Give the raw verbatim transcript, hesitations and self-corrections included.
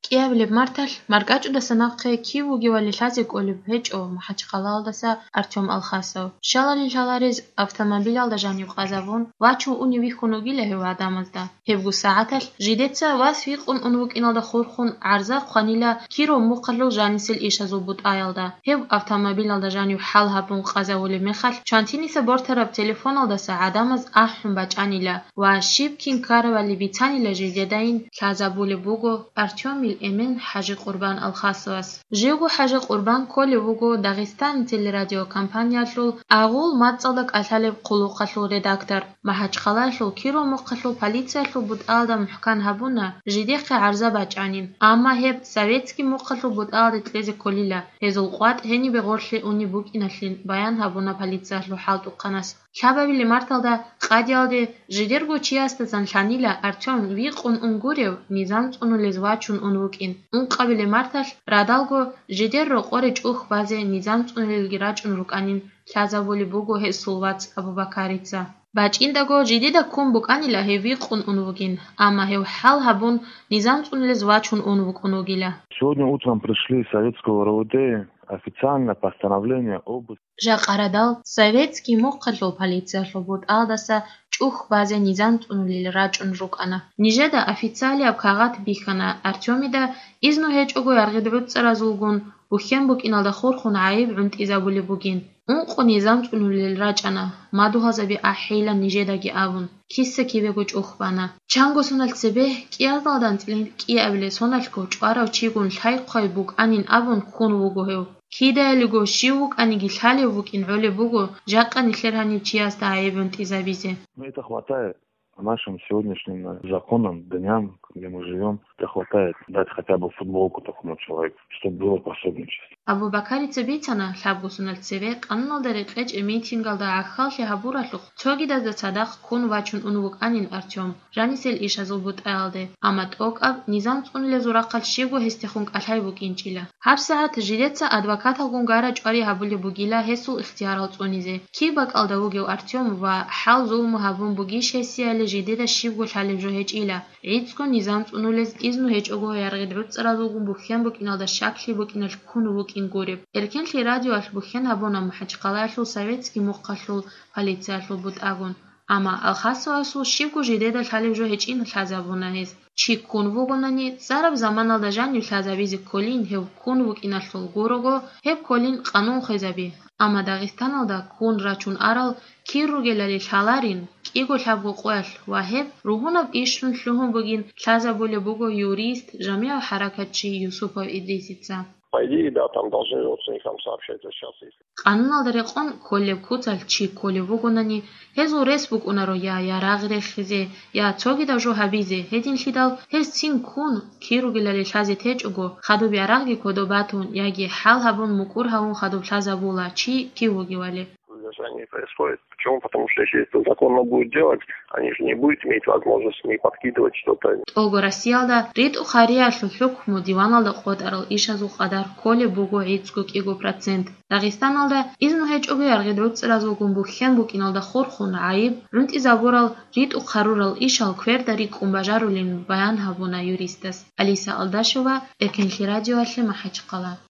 КӀиабилеб марталъ маркӀачӀудаса нахъе кив вугевали лъазе кӀолеб гьечӀо МахӀачхъалаялдаса Артём Алхасов. Щалали лъаларез автомобилалда жанив къазавун, вачун унев вихьун вугила гьев гӀадамазда. Гьебго сагӀаталъ жидеца вас вихьун ун вукӀиналда хурхун гӀарза хъванила Киров мухъалъул жанисел ишазул бутӀаялда. Гьев автомобилалда жанив хӀал гьабун къазавулеб мехалъ, чантиниса бортараб телефоналдаса гӀадамаз ахӀун бачӀанила ва щиб кин ккаравали бицанила жидедайин лъазабулеб буго Артёмил эмен ХӀажи Къурбан Алхасовас. Живго ХӀажи Къурбан кколев вуго Дагъистан телерадиокомпаниялъул агъул мацӀалда кӀалъалеб хъулухъалъул редактор. МахӀачхъалаялъул Киров мухъалъул полициялъул бутӀаялда мухӀкан гьабуна жидехъе гӀарза бачӀанин, амма гьеб советский мухъалъул бутӀаялде кьезе кколила, гьезул къватӀ гьенибе гъорлъе унеб букӀиналъин баян гьабуна полициялъул хӀалтӀухъанас. Лъабабилеб марталда къадиялде жидерго чиясдасан лъанила Артём вихьун ун гурев, низам цӀунулез вачун ун вукӀин. Ункъабилеб марталъ радалго жидер рокъоре чӀухь базе низам цӀунулелги рачӀун рукӀанин лъазабулеб буго гьесул вац Абубакарица. БачӀиндаго жидеда ккун букӀанила гьев вихьун ун вугин, амма гьев хӀал гьабун, низам цӀунулез вачун ун вукӀун вугила. Сегодня утром пришли из советского РОВД официально постановление об Жакъа радал советский мухъалъул полициялъул бутӀаялдаса чӀухь базе низам цӀунулел рачӀун рукӀана. Нижеда официалияб кагъат бихьана Артёмида, изну гьечӀого яргъид гӀуцӀаразулгун бухьен букӀиналда хурхун гӀайиб гӀунтӀизабулеб бугин. Ункъо низам цӀунулел рачӀана, мадугьалзаби ахӀейилан нижедаги абун, киса-кибего чӀухь бана. Чанго соналъ цебе кӀиазалда анцӀила кӀиабилеб соналъго чӀварав чигун лъай-хъвай букӀанин абун ккун вуго гьев. Кидаялиго щив вукӀаниги лъалев вукӀин гӀолеб буго, жакъа нилъер гьанив чиясда гӀайиб гӀунтӀизабизе. Ну, это хватает по нашим сегодняшним, э, законам, дням, где мы живём. Это хватает дать хотя бы футболку такому человеку, чтобы было пособничество. Абубакарица бицана, лъабго соналъ цебе къануналда рекъечӀеб митингалда гӀахьаллъи гьабуралъухъ цогидазда цадахъ ккун вачун ун вукӀанин Артём жанисел ишазул бутӀаялде, амма тӀокӀаб низам цӀунулезул рахъалъ щибго гьесдехун кӀалъай букӀинчӀила. ГьабсагӀат жидеца адвокаталгун гара-чӀвари гьабулеб бугила гьесул ихтиярал цӀунизе. Киб бакӀалда вугев Артём ва хӀал-зулму гьабун бугищ гьесияле жидеда щибго лъалеб жо гьечӀила. ГӀицӀго низам цӀунулез изну гьечӀого яргъид гӀуцӀаразулгун бухьен букӀиналда щаклъи букӀиналъ ккун вукӀин гуреб. Эркенлъи радиоялъ бухьен гьабуна МахӀачхъалаялъул советский мухъалъул полициялъул бутӀагун. Амма Алхасовасул щибго жидеда лъалеб жо гьечӀин лъазабуна гьез. Чи ккун вугонани, цӀараб заманалда жанив лъазабизе кколин гьев ккун вукӀиналъул гурого, гьеб кколин къанун хвезаби. Амма Дагъистаналда ккун рачун арал кир ругелали лъаларин, кӀиго-лъабго къоялъ ва гьеб ругьунаб ишрун лъугьун бугин лъазабулеб буго юрист, жамигӀ хӀаракатчи Юсупов Идрисица. По идее, да, там должны родственникам сообщать, вот сейчас, если Къануналда рекъон кколеб куцалъ чи кколев вугонани, гьезул рес букӀунаро я ярагъ рехизе, я цогидаб жо гьабизе, гьединлъидал гьез цин ккун, кир ругелали лъазе течӀого, хадуб ярагъги кодоб батун яги хӀал гьабун мукӀур гьавун хадуб лъазабула чи кив вугевали. Задержание не происходит. Почему? Потому что если это законно будет делать, они же не будут иметь возможность не подкидывать что-то. ТӀолго Россиялда ритӀухъ гьариялъул хӀукму диваналда къотӀарал ишазул къадар кколеб буго гӀицӀго-кӀиго процент. Дагъистаналда изну гьечӀого яргъид гӀуцӀразулгун бухьен букӀиналда хурхун гӀайиб гӀунтӀизабурал ритӀухъ гьарурал ишал кверда рикӀкӀун бажарулин баян гьабуна юристас. Алиса Алдашева, Эркенлъи радиоялъе МахӀачхъала.